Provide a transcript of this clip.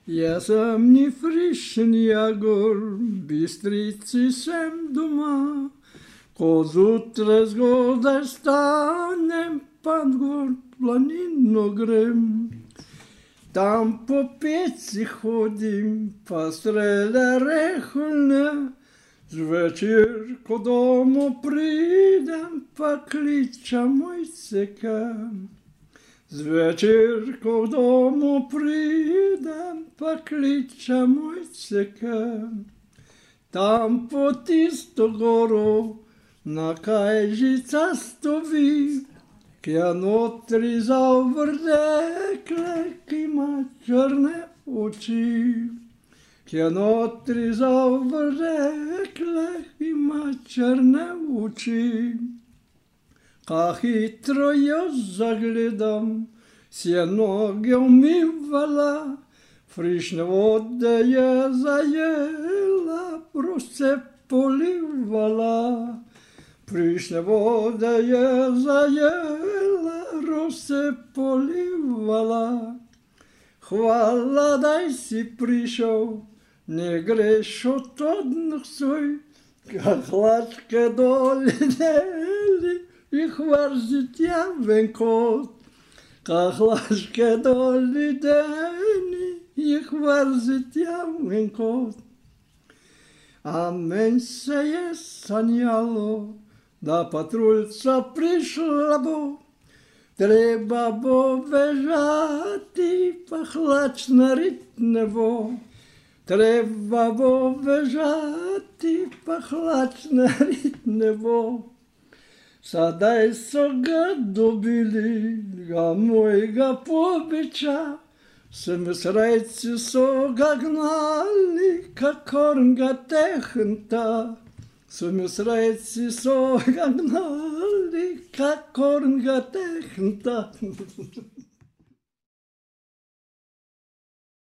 Я сам не фришен ягор, бистрицы sem дома. Коз утре сгода станем под гор планину грем. Там по пеці ходим, постреля рехольне. Звечір додому прийдем, покличем мойцика. Звечір додому прийдем, покличем мойцика. Там по тісту гору, на кайжиця стові, к'янотри заврдекле, кима чорне очі. К'янотри заврдекле, кима чорне очі. Ка хитро я заглядам, сіноги вмивала, фрішна вода я заєла, просто поливала. Фрішна вода я заєла, просто поливала. Хвала дай си прийшов, не греш от одних свой, как лачка долі дели, і хвар життя венкот. Как лачка долі дели, і хвар життя венкот. А мен се є саняло, да патрульця прийшла бо, треба бо вежати, пахлач на ритнево. Треба бо вежати, пахлач на ритнево. Садай сога добили, га мой га побича, Sem srajci so ga gnali, ka korn ga tehenta. Sem srajci so ga gnali, ka korn ga tehenta.